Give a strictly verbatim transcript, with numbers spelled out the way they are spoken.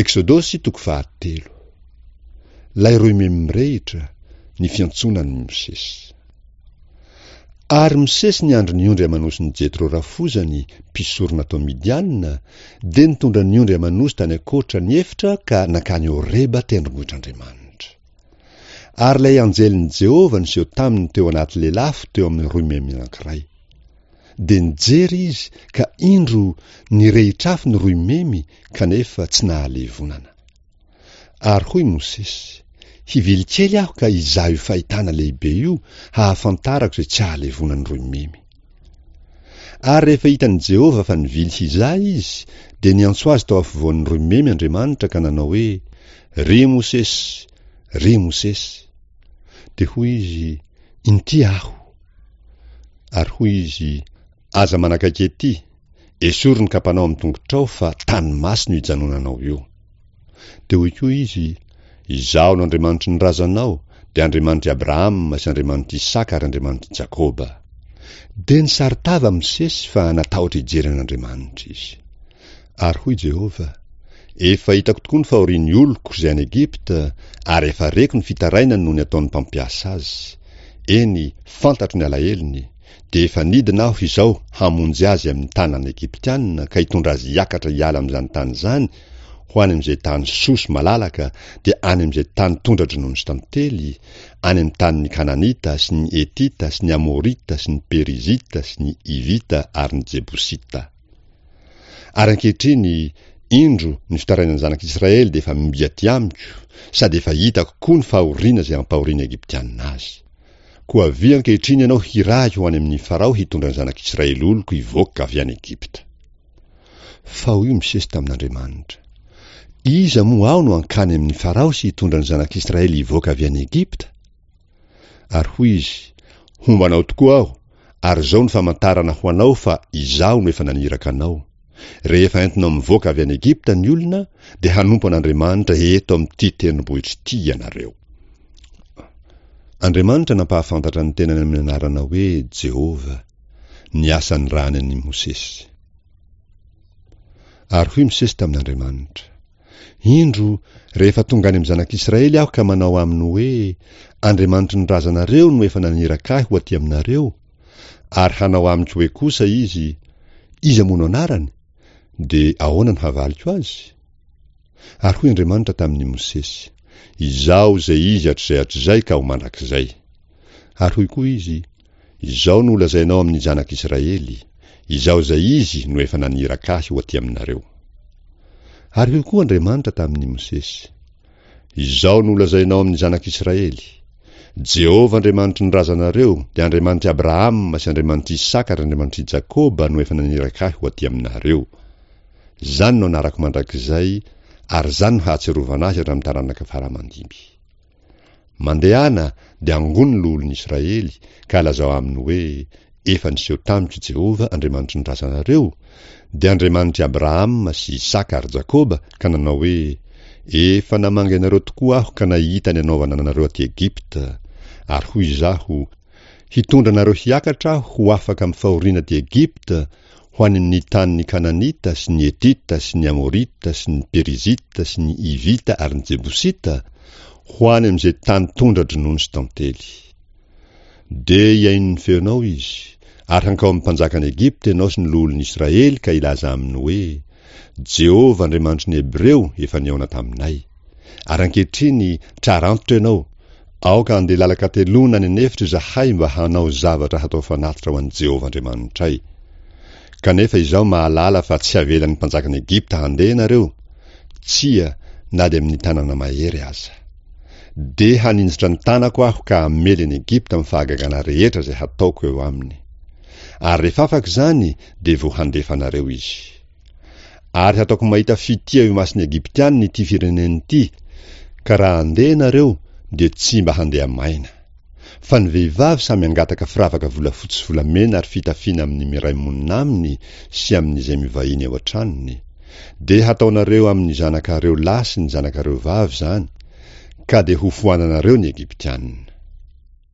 Eksodosy toko fahatelo. Ilay roimemy mirehitra, ny fiantsoana an'i Mosesy. Ary Mosesy niandry ny ondry aman'osin'i Jetro rafozany, mpisorona tao Midiana, dia nitondra ny ondry aman'osy tany ankoatra ny efitra ka nankany Horeba tendrombohitr'Andriamanitra. Ary ilay anjelin'i Jehovah niseho taminy teo anaty lelafo teo amin'ny roimemy anankiray. Dia nijery izy, ka indro, nirehitra afo ny roimemy, kanefa tsy nahalevonana. Ary hoy Mosesy, Hivily kely aho ka hizaha io fahitana lehibe io, hahafantarako izay tsy hahalevonan'ny roimemy. Ary rehefa hitan'i Jehovah fa nivily hizaha izy, dia niantso azy tao afovoan'ny roimemy Andriamanitra ka nanao hoe, Ry Mosesy, ry Mosesy! Dia hoy izy, Inty aho. Ary hoy izy, Aza manakaiky ety, esory ny kapanao amin'ny tongotrao fa tany masina io ijanonanao io. Dia hoy koa izy, Izaho no Andriamanitry ny razanao, dia Andriamanitr'i Abrahama sy Andriamanitr'i Isaka ary Andriamanitr'i Jakoba. Dia nisaron-tava Mosesy fa natahotra hijery an'Andriamanitra izy. Ary hoy Jehovah, Efa hitako tokoa ny fahorian'ny oloko izay any Egypta, ary efa reko ny fitarainany noho ny ataon'ny mpampiasa azy. Eny, fantatro ny alahelony. Dia efa nidina aho izao hamonjy azy amin'ny tanan'ny Egyptiana ka hitondra azy hiakatra hiala amin'izany tany izany ho any amin'izay tany soa sy malalaka, dia any amin'izay tany tondra-dronono sy tantely, any amin'ny tanin'ny Kananita sy ny Hetita sy ny Amorita sy ny Perizita sy ny Hivita ary ny Jebosita. Ary ankehitriny, indro, ny fitarainan'ny zanak'Israely dia efa mby aty amiko, sady efa hitako koa ny fahoriana izay ampahorian'ny Egyptiana azy. Koa avia ankehitriny ianao hirahiko ho any amin'i Farao hitondra ny zanak'Israely oloko hivoaka avy any Egypta. Fa hoy Mosesy tamin'Andriamanitra, Iza moa aho no hankany amin'i Farao sy hitondra ny zanak'Israely hivoaka avy any Egypta? Ary hoy izy, Homba anao tokoa aho, ary izao no famantarana ho anao fa Izaho no efa naniraka anao, Rehefa entinao mivoaka avy any Egypta ny olona, dia hanompo an'Andriamanitra eto amin'ity tendrombohitra ity ianareo. Andriamanitra nampahafantatra ny tenany amin'ny anarana hoe Jehovah, ny asa nirahany an'i Mosesy. Ary hoy Mosesy tamin'Andriamanitra, Indro, rehefa tonga any amin'ny zanak'Israely aho ka manao aminy hoe, Andriamanitry ny razanareo no efa naniraka ahy ho aty aminareo, ary hanao amiko hoe kosa izy, Iza moa no anarany? Dia ahoana no havaliko azy? Ary hoy Andriamanitra tamin'i Mosesy, Izaho izay Izy hatrizay hatrizay ka ho mandrakizay. Ary hoy koa Izy, Izao no holazainao amin'ny zanak'Israely, Izaho izay Izy no efa naniraka ahy ho aty aminareo. Ary hoy koa Andriamanitra tamin'i Mosesy, Izao no holazainao amin'ny zanak'Israely, Jehovah Andriamanitry ny razanareo, dia Andriamanitr'i Abrahama sy Andriamanitr'i Isaka ary Andriamanitr'i Jakoba no efa naniraka ahy ho aty aminareo. Izany no anarako mandrakizay, ary izany no hahatsiarovana ahy hatramin'ny taranaka fara aman-dimby. Mandehana dia angony ny loholon'i Israely, ka lazao aminy hoe, Efa niseho tamiko i Jehovah, Andriamanitry ny razanareo, dia Andriamanitr'i Abrahama sy Isaka ary Jakoba, ka nanao hoe, Efa namangy anareo tokoa aho ka nahita ny anaovana anareo aty Egypta. Ary hoy izaho, Hitondra anareo hiakatra aho ho afaka amin'ny fahoriana aty Egypta, ho any amin'ny tanin'ny Kananita sy ny Hetita sy ny Amorita sy ny Perizita sy ny Hivita ary ny Jebosita, ho any amin'izay tany tondra-dronono sy tantely. Dia hihaino ny feonao izy, ary hankao amin'ny mpanjakan'i Egypta ianao sy ny loholon'i Israely ka hilaza aminy hoe, Jehovah Andriamanitry ny Hebreo efa nihaona taminay. Ary ankehitriny, trara antitra ianao, aoka handeha lalan-kateloana any an'efitra izahay mba hanao zavatra hatao fanatitra ho an'i Jehovah Andriamanitray. Kanefa izaho mahalala fa tsy havelan'ny mpanjakan'i Egypta handeha ianareo, tsia, na dia amin'ny tanana mahery aza. Dia haninjitra ny tanako aho ka hamely an'i Egypta amin'ny fahagagana rehetra izay hataoko eo aminy. Ary rehefa afaka izany, dia vao handefa anareo izy. Ary hataoko mahita fitia eo imason'ny Egyptiana ity firenena ity, ka raha handeha ianareo, dia tsy mba handeha maina. Fa ny vehivavy samy hangataka firavaka volafotsy sy volamena ary fitafiana amin'ny miray monina aminy sy amin'izay mivahiny ao an-tranony. Dia hataonareo amin'ny zanakareo lahy sy ny zanakareo vavy izany, ka dia hofoananareo ny Egyptiana.